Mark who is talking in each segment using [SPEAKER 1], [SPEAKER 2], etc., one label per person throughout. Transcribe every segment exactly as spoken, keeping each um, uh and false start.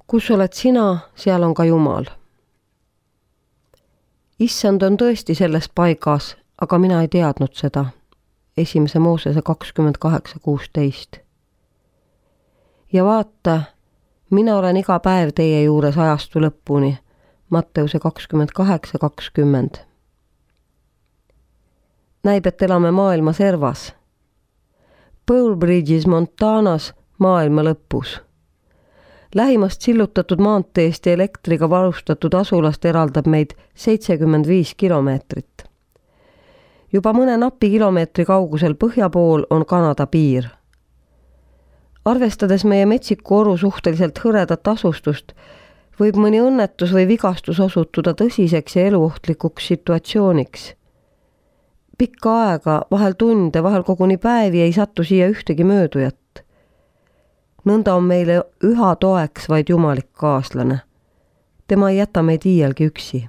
[SPEAKER 1] Kus oled sina, seal on ka Jumal. Issand on tõesti selles paigas, aga mina ei teadnud seda. Esimese Moosese kakskümmend kaheksa kuusteist. Ja vaata, mina olen iga päev teie juures ajastu lõpuni. Matteuse kakskümmend kaheksa kakskümmend. Näib, et elame maailma servas. Pole Bridges Montanas maailma lõpus. Lähimast sillutatud maanteest ja elektriga varustatud asulast eraldab meid seitsekümmend viis kilomeetrit. Juba mõne napi kilomeetri kaugusel põhja pool on Kanada piir. Arvestades meie metsiku oru suhteliselt hõredat asustust, võib mõni õnnetus või vigastus osutuda tõsiseks ja eluohtlikuks situatsiooniks. Pikka aega, vahel tunde, vahel koguni päevi ei sattu siia ühtegi möödujat. Nõnda on meile üha toeks vaid jumalik kaaslane. Tema ei jäta meid iialgi üksi.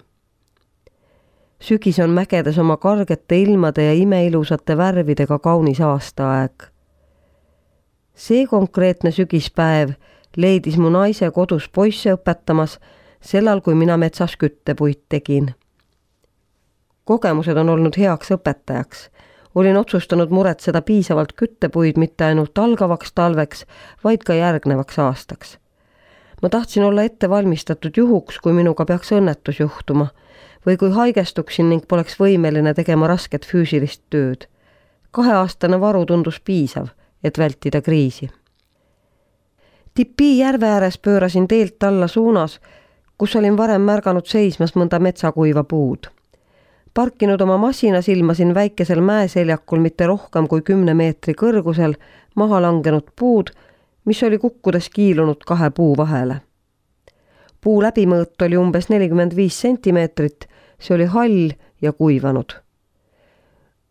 [SPEAKER 1] Sügis on mägedes oma kargete ilmade ja imeilusate värvidega kaunis aastaaeg. See konkreetne sügispäev leidis mu naise kodus poisse õpetamas, sellal kui mina metsas küttepuid tegin. Kogemused on olnud heaks õpetajaks. Olin otsustanud muretseda piisavalt küttepuid mitte ainult algavaks talveks, vaid ka järgnevaks aastaks. Ma tahtsin olla ette valmistatud juhuks, kui minuga peaks õnnetus juhtuma, või kui haigestuksin ning poleks võimeline tegema rasket füüsilist tööd. Kaheaastane varu tundus piisav, et vältida kriisi. Tipi järve ääres pöörasin teelt alla suunas, kus olin varem märganud seismas mõnda metsakuiva puud. Parkinud oma masina silmasin väikesel mäeseljakul mitte rohkem kui kümne meetri kõrgusel maha langenud puud, mis oli kukkudes kiilunud kahe puu vahele. Puu läbimõõt oli umbes nelikümmend viis sentimeetrit, see oli hall ja kuivanud.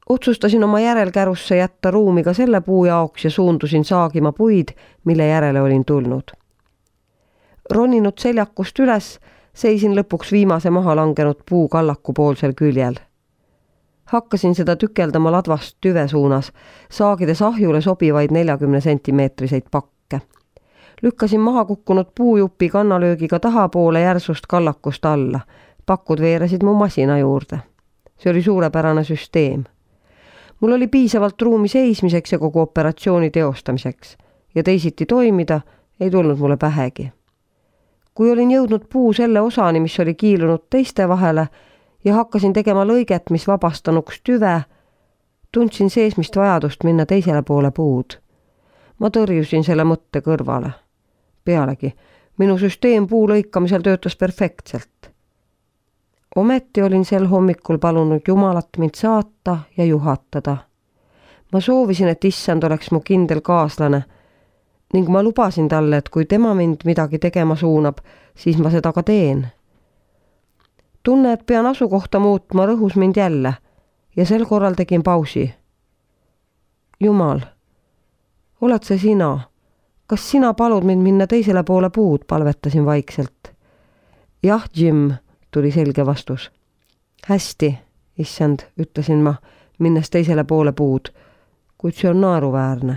[SPEAKER 1] Otsustasin oma järelkärusse jätta ruumi ka selle puu jaoks ja suundusin saagima puid, mille järele olin tulnud. Roninud seljakust üles, seisin lõpuks viimase maha langenud puu kallaku poolsel küljel. Hakkasin seda tükeldama ladvast tüve suunas, saagides ahjule sobivaid neljakümne sentimeetriseid pakke. Lükkasin maha kukkunud puujupi kannalöögiga tahapoole järsust kallakust alla. Pakud veeresid mu masina juurde. See oli suurepärane süsteem. Mul oli piisavalt ruumi seismiseks ja kogu operatsiooni teostamiseks ja teisiti toimida ei tulnud mulle pähegi. Kui olin jõudnud puu selle osani, mis oli kiilunud teiste vahele ja hakkasin tegema lõiget, mis vabastanuks tüve, tundsin seesmist vajadust minna teisele poole puud. Ma tõrjusin selle mõtte kõrvale. Pealegi, minu süsteem puu lõikamisel töötas perfektselt. Ometi olin sel hommikul palunud Jumalat mind saata ja juhatada. Ma soovisin, et issand oleks mu kindel kaaslane, ning ma lubasin talle, et kui tema mind midagi tegema suunab, siis ma seda ka teen. Tunne, et pean asukohta muutma, rõhus mind jälle ja sel korral tegin pausi. Jumal, oled see sina? Kas sina palud mind minna teisele poole puud, palvetasin vaikselt. Jah, Jim, tuli selge vastus. Hästi, issand, ütlesin ma, minnes teisele poole puud, kuid see on naeruväärne.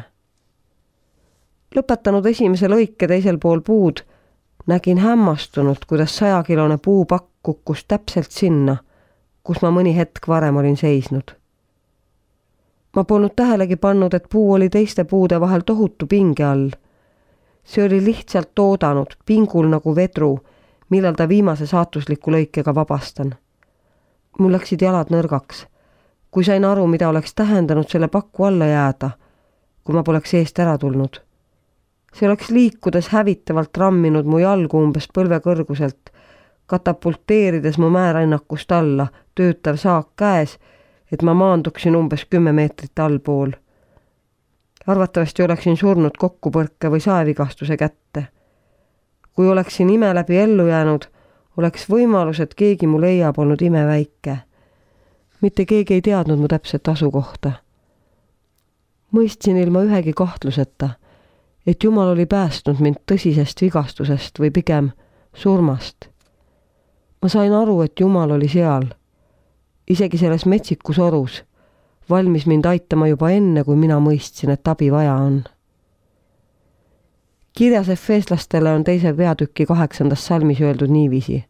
[SPEAKER 1] Lõpetanud esimese lõike teisel pool puud, nägin hämmastunult, kuidas sajakilone puupakk kukkus täpselt sinna, kus ma mõni hetk varem olin seisnud. Ma polnud tähelegi pannud, et puu oli teiste puude vahel tohutu pinge all. See oli lihtsalt oodanud, pingul nagu vedru, millal ta viimase saatusliku lõikega vabastan. Mul läksid jalad nõrgaks, kui sain aru, mida oleks tähendanud selle pakku alla jääda, kui ma poleks eest ära tulnud. See oleks liikudes hävitavalt ramminud mu jalgu umbes põlve kõrguselt, katapulteerides mu määrannakust alla, töötav saak käes, et ma maanduksin umbes kümme meetrit allpool. Arvatavasti oleksin surnud kokkupõrke või saevigastuse kätte. Kui oleksin ime läbi ellu jäänud, oleks võimalus, et keegi mu leiab olnud imeväike. Mitte keegi ei teadnud mu täpset asukohta. Mõistsin ilma ühegi kahtluseta, et Jumal oli päästnud mind tõsisest vigastusest või pigem surmast. Ma sain aru, et Jumal oli seal, isegi selles metsikus orus, valmis mind aitama juba enne, kui mina mõistsin, et abi vaja on. Kirjas efeeslastele on teise peatüki kaheksandas salmis öeldud niiviisi.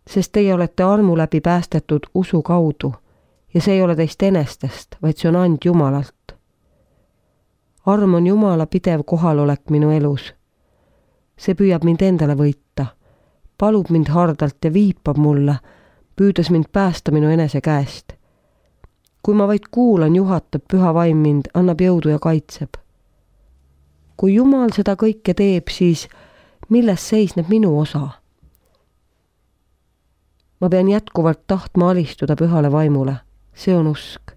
[SPEAKER 1] Sest teie olete armu läbi päästetud usu kaudu ja see ei ole teist enestest, vaid see on and Jumalalt. Arm on Jumala pidev kohalolek minu elus. See püüab mind endale võita, palub mind hardalt ja viipab mulle, püüdes mind päästa minu enese käest. Kui ma vaid kuulan, juhatab püha vaim mind, annab jõudu ja kaitseb. Kui Jumal seda kõike teeb, siis milles seisneb minu osa? Ma pean jätkuvalt tahtma alistuda pühale vaimule. See on usk.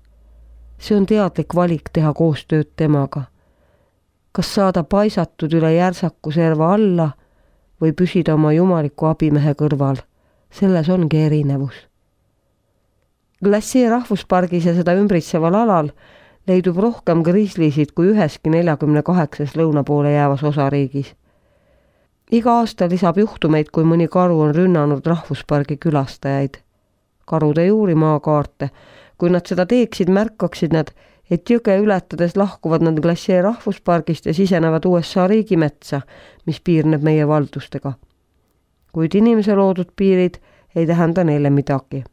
[SPEAKER 1] See on teadlik valik teha koostööd temaga. Kas saada paisatud üle järsaku serva alla või püsida oma jumaliku abimehe kõrval. Selles ongi erinevus. Glacier rahvuspargis ja seda ümbritseval alal leidub rohkem griislisid kui üheski neljakümne kaheksas lõuna poole jäävas osariigis. Iga aasta lisab juhtumeid, kui mõni karu on rünnanud rahvuspargi külastajaid. Karud ei uuri maakaarte. Kui nad seda teeksid, märkaksid nad, et jõge ületades lahkuvad nad Glacier rahvuspargist ja sisenevad U S A riigimetsa, mis piirneb meie valdustega. Kuid inimese loodud piirid ei tähenda neile midagi.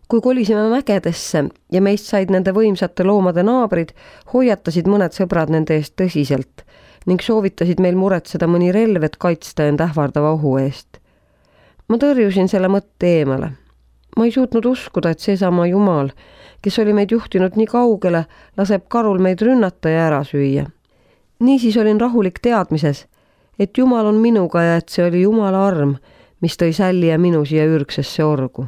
[SPEAKER 1] Kui kolisime mägedesse ja meist said nende võimsate loomade naabrid, hoiatasid mõned sõbrad nende eest tõsiselt ning soovitasid meil muretseda mõni relv, et kaitsta end ähvardava ohu eest. Ma tõrjusin selle mõtte eemale. Ma ei suutnud uskuda, et seesama Jumal, kes oli meid juhtinud nii kaugele, laseb karul meid rünnata ja ära süüa. Niisiis olin rahulik teadmises, et Jumal on minuga ja et see oli Jumala arm, mis tõi Sälli ja minu siia ürgsesse orgu.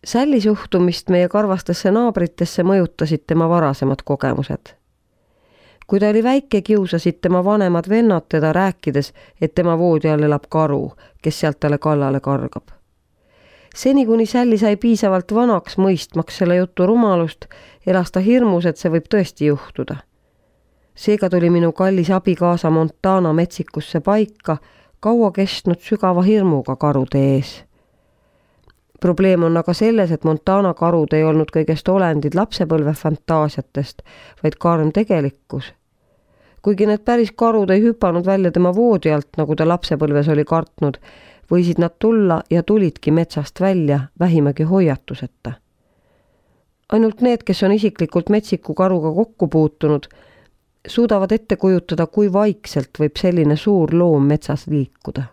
[SPEAKER 1] Sälli suhtumist meie karvastesse naabritesse mõjutasid tema varasemad kogemused. Kui ta oli väike, kiusasid tema vanemad vennad teda rääkides, et tema voodi all elab karu, kes sealt talle kallale kargab. Seni kuni Sälli sai piisavalt vanaks mõistmaks selle jutu rumalust, elas ta hirmus, et see võib tõesti juhtuda. Seega tuli minu kallis abikaasa Montana metsikusse paika, kaua kestnud sügava hirmuga karude ees. Probleem on aga selles, et Montana karud ei olnud kõigest olendid lapsepõlve fantaasiatest, vaid karm tegelikkus. Kuigi need päris karud ei hüpanud välja tema voodi alt, nagu ta lapsepõlves oli kartnud, võisid nad tulla ja tulidki metsast välja vähimagi hoiatuseta. Ainult need, kes on isiklikult metsiku karuga kokku puutunud, suudavad ette kujutada, kui vaikselt võib selline suur loom metsas liikuda.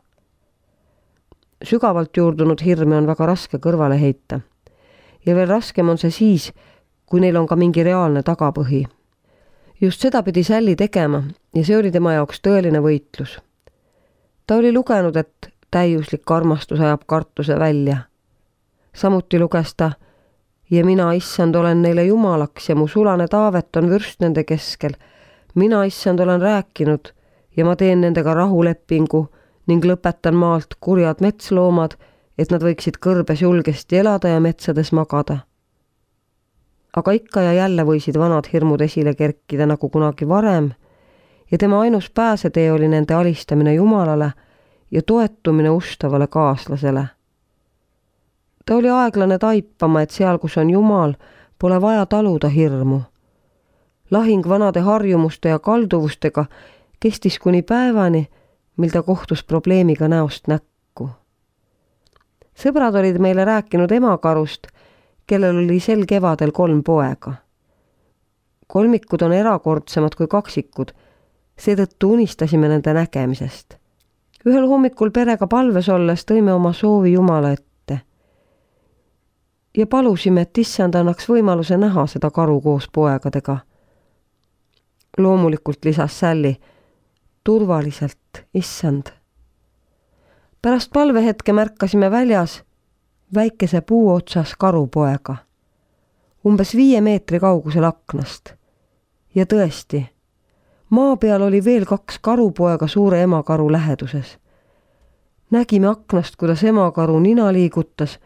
[SPEAKER 1] Sügavalt juurdunud hirme on väga raske kõrvale heita. Ja veel raskem on see siis, kui neil on ka mingi reaalne tagapõhi. Just seda pidi Sälli tegema ja see oli tema jaoks tõeline võitlus. Ta oli lugenud, et täiuslik armastus ajab kartuse välja. Samuti luges ta, ja mina, issand, olen neile jumalaks ja mu sulane Taavet on vürst nende keskel. Mina, issand, olen rääkinud ja ma teen nendega rahulepingu ning lõpetan maalt kurjad metsloomad, et nad võiksid kõrbes julgesti elada ja metsades magada. Aga ikka ja jälle võisid vanad hirmud esile kerkida nagu kunagi varem ja tema ainus pääsetee oli nende alistamine Jumalale ja toetumine ustavale kaaslasele. Ta oli aeglane taipama, et seal, kus on Jumal, pole vaja taluda hirmu. Lahing vanade harjumuste ja kalduvustega kestis kuni päevani, mil ta kohtus probleemiga näost näkku. Sõbrad olid meile rääkinud emakarust, kellel oli sel kevadel kolm poega. Kolmikud on erakordsemad kui kaksikud, seetõttu unistasime nende nägemisest. Ühel hommikul perega palves olles tõime oma soovi Jumala ette ja palusime, et issand annaks võimaluse näha seda karu koos poegadega. Loomulikult lisas Sälli, turvaliselt, issand. Pärast palvehetke märkasime väljas väikese puu otsas karupoega, umbes viie meetri kaugusel aknast. Ja tõesti, maa peal oli veel kaks karupoega suure emakaru läheduses. Nägime aknast, kuidas emakaru nina liigutas,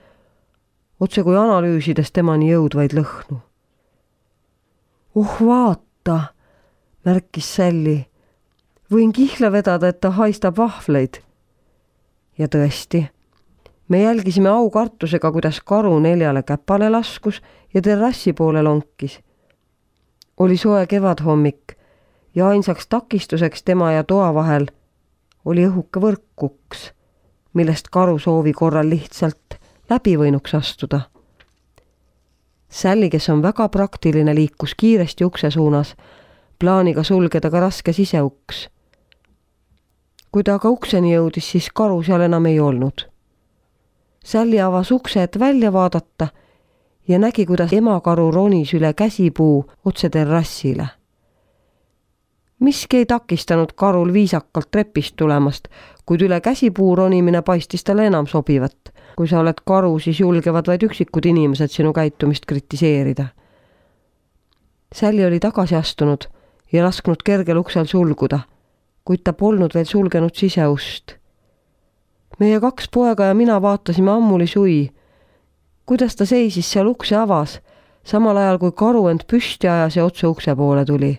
[SPEAKER 1] otse kui analüüsides temani jõudvaid lõhnu. Oh vaata, märkis Sälli, võin kihla vedada, et ta haistab vahvleid. Ja tõesti, me jälgisime aukartusega, kuidas karu neljale käpale laskus ja terrassi poole lonkis. Oli soe kevadhommik ja ainsaks takistuseks tema ja toa vahel oli õhuke võrkuks, millest karu soovi korral lihtsalt läbi võinuks astuda. Sally, kes on väga praktiline, liikus kiiresti ukse suunas, plaaniga sulgeda ka raske siseuks. Kui ta aga ukseni jõudis, siis karu seal enam ei olnud. Sally avas ukse, et välja vaadata ja nägi, kuidas emakaru ronis üle käsipuu otse terrassile. Miski ei takistanud karul viisakalt trepist tulemast, kuid üle käsipuu ronimine paistis talle enam sobivat. Kui sa oled karu, siis julgevad vaid üksikud inimesed sinu käitumist kritiseerida. Sally oli tagasi astunud ja lasknud kergel uksel sulguda, kuid ta polnud veel sulgenud siseust. Meie kaks poega ja mina vaatasime ammuli sui, kuidas ta seisis seal ukse avas, samal ajal kui karu end püsti ajas ja otse ukse poole tuli.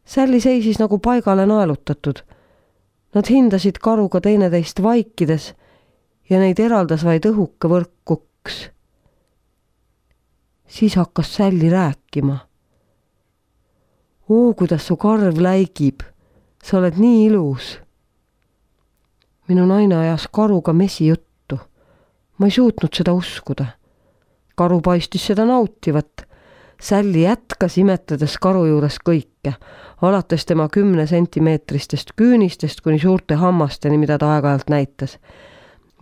[SPEAKER 1] Sally seisis nagu paigale naelutatud. Nad hindasid karuga teineteist vaikides ja neid eraldas vaid õhuke võrkuks. Siis hakkas Sally rääkima. Oo, kuidas su karv läigib, sa oled nii ilus. Minu naine ajas karuga mesi juttu. Ma ei suutnud seda uskuda. Karu paistis seda nautivat. Sally jätkas imetades karu juures kõike, alates tema kümne sentimeetristest küünistest kuni suurte hammasteni, mida ta aeg-ajalt näitas.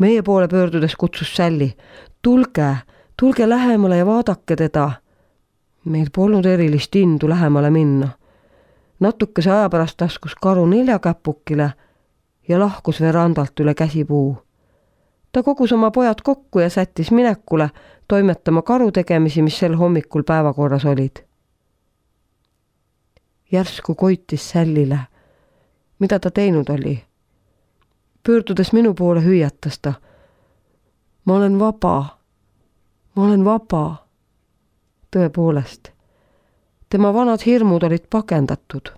[SPEAKER 1] Meie poole pöördudes kutsus Sally. Tulge, tulge lähemale ja vaadake teda. Meil polnud erilist indu lähemale minna. Natukese aja pärast askus karu neljakäpukile ja lahkus verandalt üle käsipuu. Ta kogus oma pojad kokku ja sättis minekule toimetama karu tegemisi, mis sel hommikul päevakorras olid. Järsku koitis Sallyle, mida ta teinud oli. Pöördudes minu poole hüüatas ta. Ma olen vaba. Ma olen vaba. Tõepoolest. Tema vanad hirmud olid pakendatud.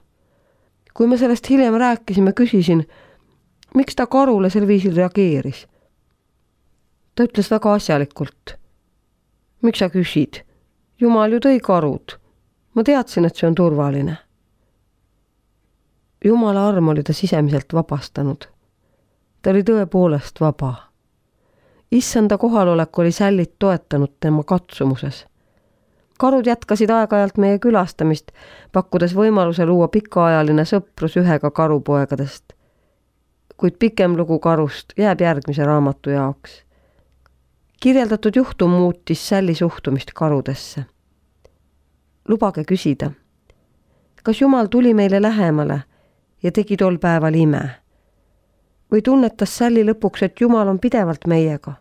[SPEAKER 1] Kui me sellest hiljem rääkisime, küsisin, miks ta karule sel viisil reageeris. Ta ütles väga asjalikult. Miks sa küsid? Jumal ju tõi karud. Ma teadsin, et see on turvaline. Jumala arm oli ta sisemiselt vabastanud. Ta oli tõepoolest vaba. Issanda kohalolek oli Sallyt toetanud tema katsumuses. Karud jätkasid aeg-ajalt meie külastamist, pakkudes võimaluse luua pikaajaline sõprus ühega karupoegadest. Kuid pikem lugu karust jääb järgmise raamatu jaoks. Kirjeldatud juhtum muutis Sally suhtumist karudesse. Lubage küsida, kas Jumal tuli meile lähemale ja tegi tol päeval ime? Või tunnetas Sally lõpuks, et Jumal on pidevalt meiega?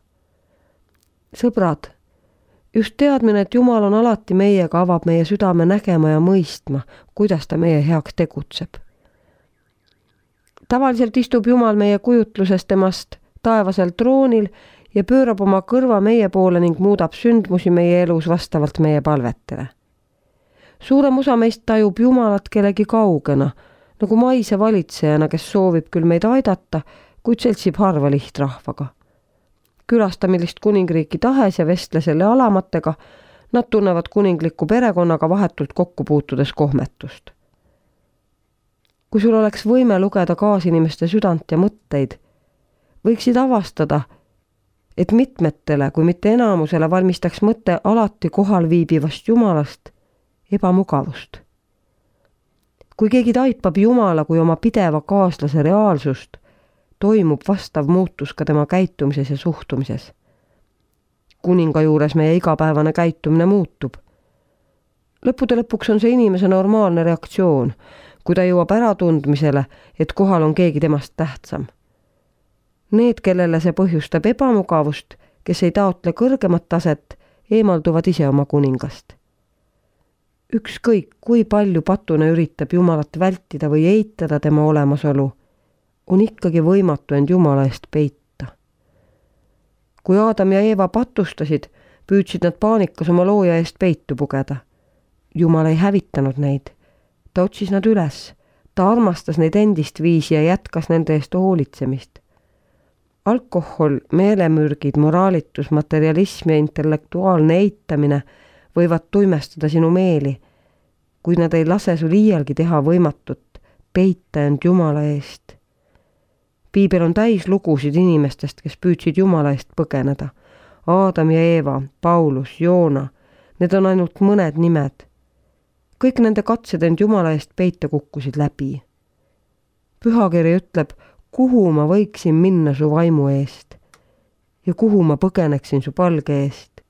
[SPEAKER 1] Sõbrad, just teadmine, et Jumal on alati meiega, avab meie südame nägema ja mõistma, kuidas ta meie heaks tegutseb. Tavaliselt istub Jumal meie kujutluses temast taevasel troonil ja pöörab oma kõrva meie poole ning muudab sündmusi meie elus vastavalt meie palvetele. Suurem osa meist tajub Jumalat kellegi kaugena, nagu maise valitsejana, kes soovib küll meid aidata, kuid seltsib harva lihtrahvaga. Külasta millist kuningriiki tahes ja vestle selle alamatega, nad tunnevad kuningliku perekonnaga vahetult kokku puutudes kohmetust. Kui sul oleks võime lugeda kaasinimeste südant ja mõtteid, võiksid avastada, et mitmetele, kui mitte enamusele, valmistaks mõte alati kohal viibivast Jumalast ebamugavust. Kui keegi taipab Jumala kui oma pideva kaaslase reaalsust, toimub vastav muutus ka tema käitumises ja suhtumises. Kuninga juures meie igapäevane käitumine muutub. Lõppude lõpuks on see inimese normaalne reaktsioon, kui ta jõuab äratundmisele, et kohal on keegi temast tähtsam. Need, kellele see põhjustab ebamugavust, kes ei taotle kõrgemat taset, eemalduvad ise oma kuningast. Ükskõik, kui palju patune üritab Jumalat vältida või eitada tema olemasolu, on ikkagi võimatu end Jumala eest peita. Kui Aadam ja Eeva patustasid, püüdsid nad paanikas oma looja eest peitu pugeda. Jumal ei hävitanud neid. Ta otsis nad üles. Ta armastas neid endist viisi ja jätkas nende eest hoolitsemist. Alkohol, meelemürgid, moraalitus, materialism ja intellektuaalne eitamine võivad tuimestada sinu meeli, kui nad ei lase sul iialgi teha võimatut, peita end Jumala eest. Piibel on täis lugusid inimestest, kes püüdsid Jumala eest põgeneda. Aadam ja Eeva, Paulus, Joona, need on ainult mõned nimed. Kõik nende katsed end Jumala eest peita kukkusid läbi. Pühakiri ütleb, kuhu ma võiksin minna su vaimu eest ja kuhu ma põgeneksin su palge eest.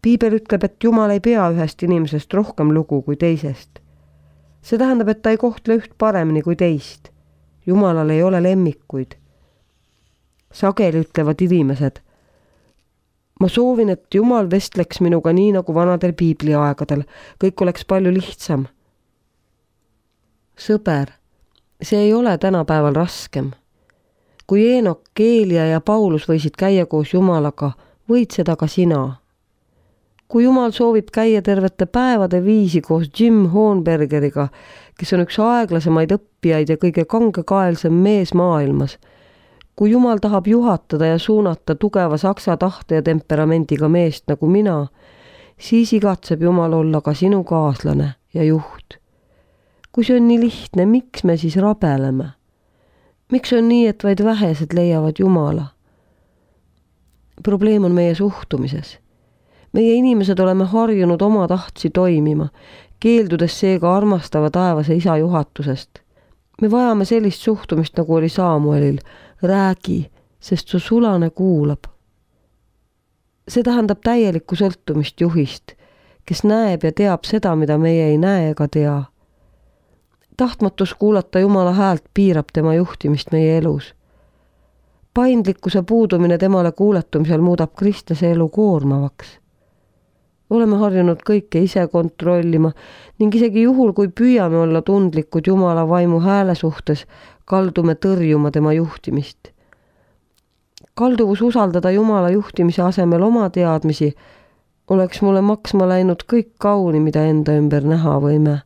[SPEAKER 1] Piibel ütleb, et Jumal ei pea ühest inimesest rohkem lugu kui teisest. See tähendab, et ta ei kohtle üht paremini kui teist. Jumalal ei ole lemmikuid. Sageli ütlevad inimesed, ma soovin, et Jumal vestleks minuga nii nagu vanadel piibliaegadel. Kõik oleks palju lihtsam. Sõber, see ei ole tänapäeval raskem. Kui Eenok, Keelia ja Paulus võisid käia koos Jumalaga, võid seda ka sina. Kui Jumal soovib käia tervete päevade viisi koos Jim Hohenbergeriga, kes on üks aeglasemaid õppijaid ja kõige kangekaelsem mees maailmas, kui Jumal tahab juhatada ja suunata tugeva saksa tahte ja temperamendiga meest nagu mina, siis igatseb Jumal olla ka sinu kaaslane ja juht. Kui see on nii lihtne, miks me siis rabeleme? Miks on nii, et vaid vähesed leiavad Jumala? Probleem on meie suhtumises. Meie inimesed oleme harjunud oma tahtsi toimima, keeldudes seega armastava taevase isa juhatusest. Me vajame sellist suhtumist, nagu oli Saamuelil. Räägi, sest su sulane kuulab. See tähendab täielikku sõltumist juhist, kes näeb ja teab seda, mida meie ei näe ega tea. Tahtmatus kuulata Jumala häält piirab tema juhtimist meie elus. Paindlikkuse puudumine temale kuuletumisel muudab kristlase elu koormavaks. Oleme harjunud kõike ise kontrollima ning isegi juhul, kui püüame olla tundlikud Jumala vaimu hääle suhtes, kaldume tõrjuma tema juhtimist. Kalduvus usaldada Jumala juhtimise asemel oma teadmisi oleks mulle maksma läinud kõik kauni, mida enda ümber näha võime.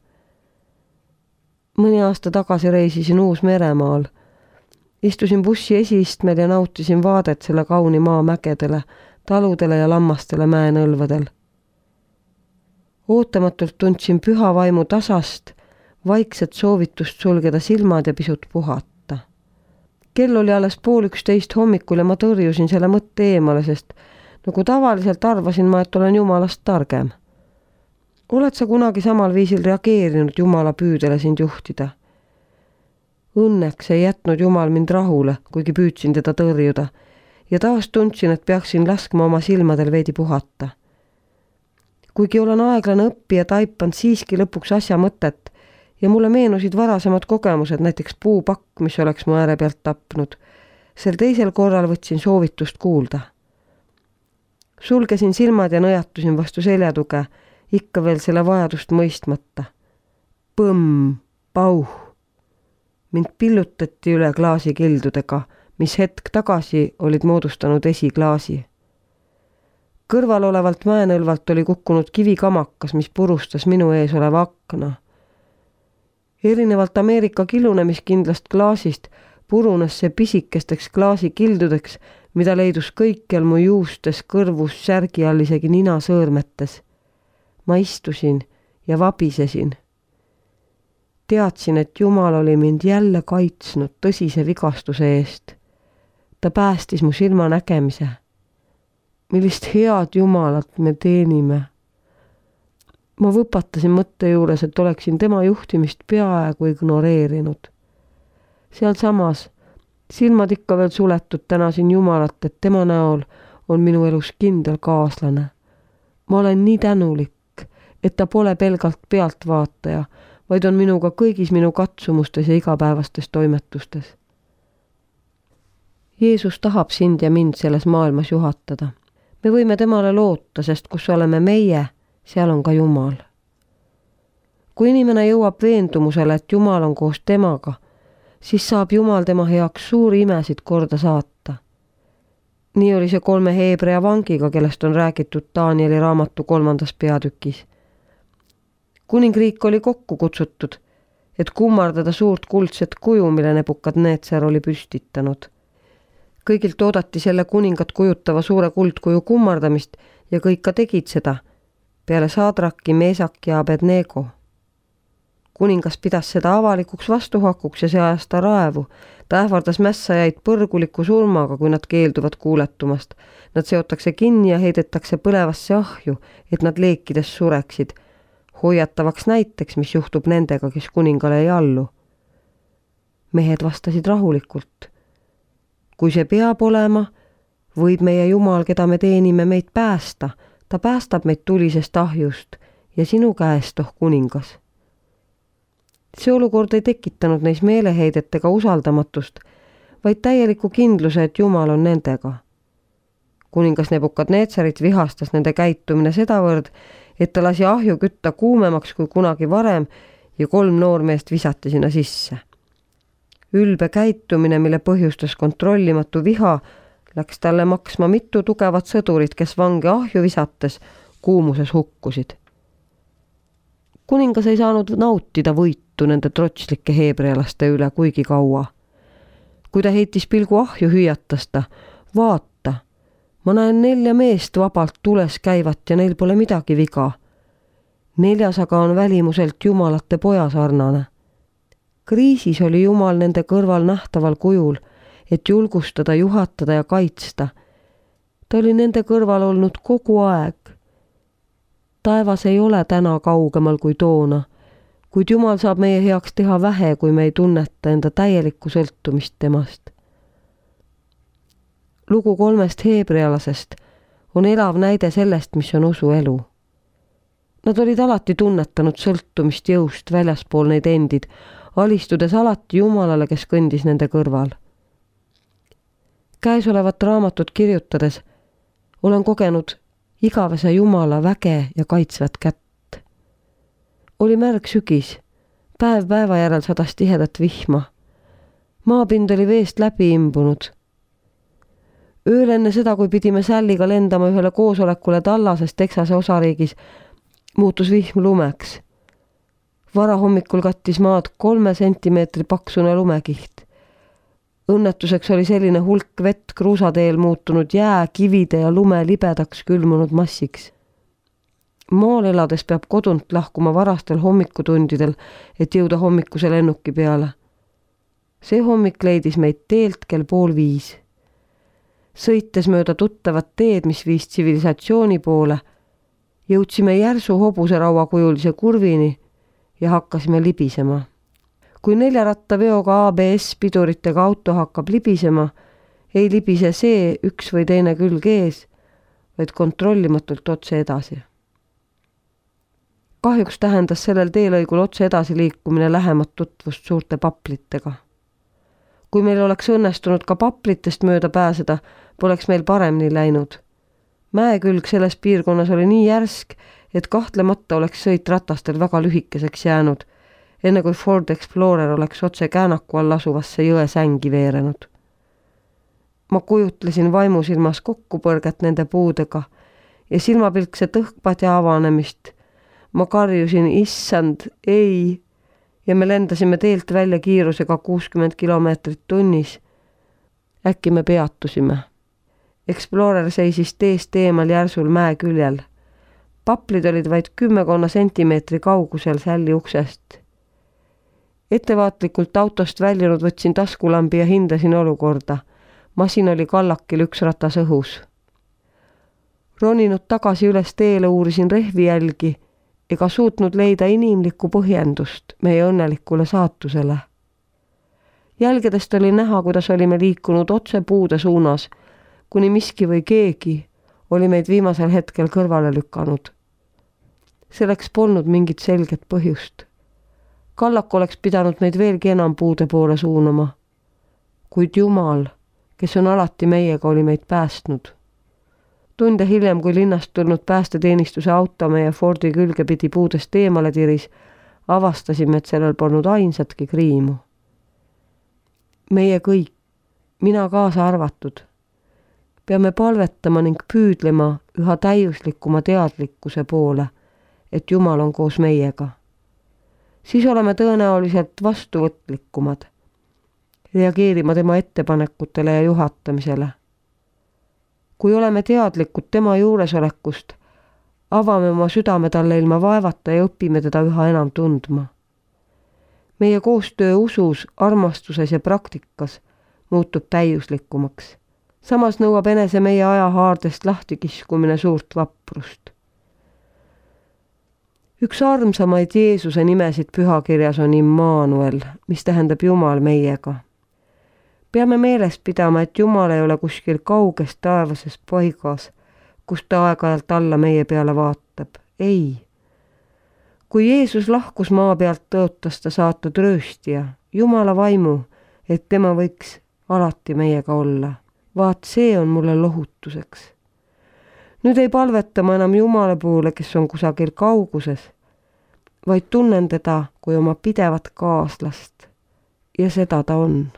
[SPEAKER 1] Mõni aasta tagasi reisisin Uus-Meremaal. Istusin bussi esiistmel ja nautisin vaadet selle kauni maa mägedele, taludele ja lammastele mäenõlvadel. Ootamatult tundsin püha vaimu tasast, vaikset soovitust sulgeda silmad ja pisut puhata. Kell oli alles pool üksteist hommikul ja ma tõrjusin selle mõtte eemale, sest nagu tavaliselt arvasin ma, et olen Jumalast targem. Oled sa kunagi samal viisil reageerinud Jumala püüdele sind juhtida? Õnneks ei jätnud Jumal mind rahule, kuigi püüdsin teda tõrjuda, ja taas tundsin, et peaksin laskma oma silmadel veidi puhata. Kuigi olen aeglane õppija, taipand siiski lõpuks asja mõtet ja mulle meenusid varasemad kogemused, näiteks puupakk, mis oleks mu ääre pealt tapnud. Sel teisel korral võtsin soovitust kuulda. Sulgesin silmad ja nõjatusin vastu seljatuge, ikka veel selle vajadust mõistmata. Põmm, pauh. Mind pillutati üle klaasikildudega, mis hetk tagasi olid moodustanud esiklaasi. Kõrval olevalt mäenõlvalt oli kukkunud kivikamakas, mis purustas minu ees oleva akna. Erinevalt Ameerika kilunemiskindlast klaasist purunes see pisikesteks klaasikildudeks, mida leidus kõikjal mu juustes, kõrvus, särgi all, isegi nina sõõrmetes. Ma istusin ja vabisesin. Teadsin, et Jumal oli mind jälle kaitsnud tõsise vigastuse eest. Ta päästis mu silma nägemise. Millist head Jumalat me teenime. Ma võpatasin mõtte juures, et oleksin tema juhtimist peaaegu ignoreerinud. Seal samas, silmad ikka veel suletud, tänasin Jumalat, et tema näol on minu elus kindel kaaslane. Ma olen nii tänulik, et ta pole pelgalt pealtvaataja, vaid on minuga kõigis minu katsumustes ja igapäevastes toimetustes. Jeesus tahab sind ja mind selles maailmas juhatada. Me võime temale loota, sest kus oleme meie, seal on ka Jumal. Kui inimene jõuab veendumusele, et Jumal on koos temaga, siis saab Jumal tema heaks suuri imesid korda saata. Nii oli see kolme Heebrea vangiga, kellest on räägitud Danieli raamatu kolmandas peatükis. Kuningriik oli kokku kutsutud, et kummardada suurt kuldset kuju, mille Nebukadnetser oli püstitanud. Kõigilt oodati selle kuningat kujutava suure kuldkuju kummardamist ja kõik ka tegid seda, peale Sadraki, Mesak ja Abednego. kuningas pidas seda avalikuks vastuhakuks ja see ajas ta raevu. Ta ähvardas mässajaid põrguliku surmaga, kui nad keelduvad kuuletumast. Nad seotakse kinni ja heidetakse põlevasse ahju, et nad leekides sureksid. Hoiatavaks näiteks, mis juhtub nendega, kes kuningale ei allu. Mehed vastasid rahulikult. Kui see peab olema, võib meie Jumal, keda me teenime, meid päästa. Ta päästab meid tulisest ahjust ja sinu käest, oh kuningas. See olukord ei tekitanud neis meeleheidet ega usaldamatust, vaid täieliku kindluse, et Jumal on nendega. Kuningas Nebukadneetsarit vihastas nende käitumine sedavõrd, et ta lasi ahju kütta kuumemaks kui kunagi varem ja kolm noormeest visati sinna sisse. Ülbe käitumine, mille põhjustas kontrollimatu viha, läks talle maksma mitu tugevat sõdurit, kes vange ahju visates kuumuses hukkusid. Kuningas ei saanud nautida võitu nende trotslike heebrealaste üle kuigi kaua. Kui ta heitis pilgu ahju, hüüatas ta, vaata, ma näen nelja meest vabalt tules käivat ja neil pole midagi viga. Neljas aga on välimuselt jumalate poja sarnane. Kriisis oli Jumal nende kõrval nähtaval kujul, et julgustada, juhatada ja kaitsta. Ta oli nende kõrval olnud kogu aeg. Taevas ei ole täna kaugemal kui toona, kuid Jumal saab meie heaks teha vähe, kui me ei tunneta enda täielikku sõltumist temast. Lugu kolmest heebrealasest on elav näide sellest, mis on usu elu. Nad olid alati tunnetanud sõltumist jõust väljaspool neid endid, alistudes alati Jumalale, kes kõndis nende kõrval. Käesolevat raamatut kirjutades olen kogenud igavese Jumala väge ja kaitsvat kätt. Oli märg sügis, päev päeva järel sadas tihedat vihma. Maapind oli veest läbi imbunud. Ööl enne seda, kui pidime Sälliga lendama ühele koosolekule Tallases Texase osariigis, muutus vihm lumeks. Varahommikul kattis maad kolme sentimeetri paksune lumekiht. Õnnetuseks oli selline hulk vett kruusateel muutunud jää, kivide ja lume libedaks külmunud massiks. Maal elades peab kodunt lahkuma varastel hommikutundidel, et jõuda hommikuse lennuki peale. See hommik leidis meid teelt kell pool viis. Sõites mööda tuttavat teed, mis viis tsivilisatsiooni poole, jõudsime järsu hobuserauakujulise kurvini ja hakkasime libisema. Kui neljarattaveoga A B S piduritega auto hakkab libisema, ei libise see üks või teine külg ees, vaid kontrollimatult otse edasi. Kahjuks tähendas sellel teelõigul otse edasi liikumine lähemat tutvust suurte paplitega. Kui meil oleks õnnestunud ka paplitest mööda pääseda, poleks meil paremini läinud. Mäekülg selles piirkonnas oli nii järsk, et kahtlemata oleks sõit ratastel väga lühikeseks jäänud, enne kui Ford Explorer oleks otse käänaku all asuvasse jõe sängi veerenud. Ma kujutlesin vaimusilmas kokkupõrget nende puudega ja silmapilkse tõhkpad ja avanemist. Ma karjusin, issand, ei, ja me lendasime teelt välja kiirusega kuuskümmend kilomeetrit tunnis. Äkki me peatusime. Explorer seisis teest eemal järsul mäe küljel. Paplid olid vaid kümmekonna sentimeetri kaugusel Sälli uksest. Ettevaatlikult autost väljunud võtsin taskulambi ja hindasin olukorda. Masin oli kallakil üks ratas õhus. Roninud tagasi üles teele uurisin rehvi jälgi ega suutnud leida inimlikku põhjendust meie õnnelikule saatusele. Jälgedest oli näha, kuidas olime liikunud otse puude suunas, kuni miski või keegi oli meid viimasel hetkel kõrvale lükanud. Selleks polnud mingit selget põhjust. Kallak oleks pidanud meid veelgi enam puude poole suunama. Kuid Jumal, kes on alati meiega, oli meid päästnud. Tunde hiljem, kui linnast tulnud päästeteenistuse auto meie Fordi külge pidi puudest eemale tiris, avastasime, et sellel polnud ainsatki kriimu. Meie kõik, mina kaasa arvatud, peame palvetama ning püüdlema üha täiuslikuma teadlikkuse poole, et Jumal on koos meiega. Siis oleme tõenäoliselt vastuvõtlikumad, reageerima tema ettepanekutele ja juhatamisele. Kui oleme teadlikud tema juuresolekust, avame oma südame talle ilma vaevata ja õpime teda üha enam tundma. meie koostöö usus, armastuses ja praktikas muutub täiuslikumaks. Samas nõuab enese meie ajahaardest lahtikiskumine suurt vaprust. Üks armsamaid Jeesuse nimesid pühakirjas on Immanuel, mis tähendab Jumal meiega. Peame meeles pidama, et Jumal ei ole kuskil kauges taevases paigas, kus ta aeg-ajalt alla meie peale vaatab. Ei. Kui Jeesus lahkus maa pealt, tõotas ta saata trööstija, Jumala vaimu, et tema võiks alati meiega olla. Vaat see on mulle lohutuseks. Nüüd ei palveta ma enam Jumala poole, kes on kusagil kauguses, vaid tunnen teda kui oma pidevat kaaslast. Ja seda ta on.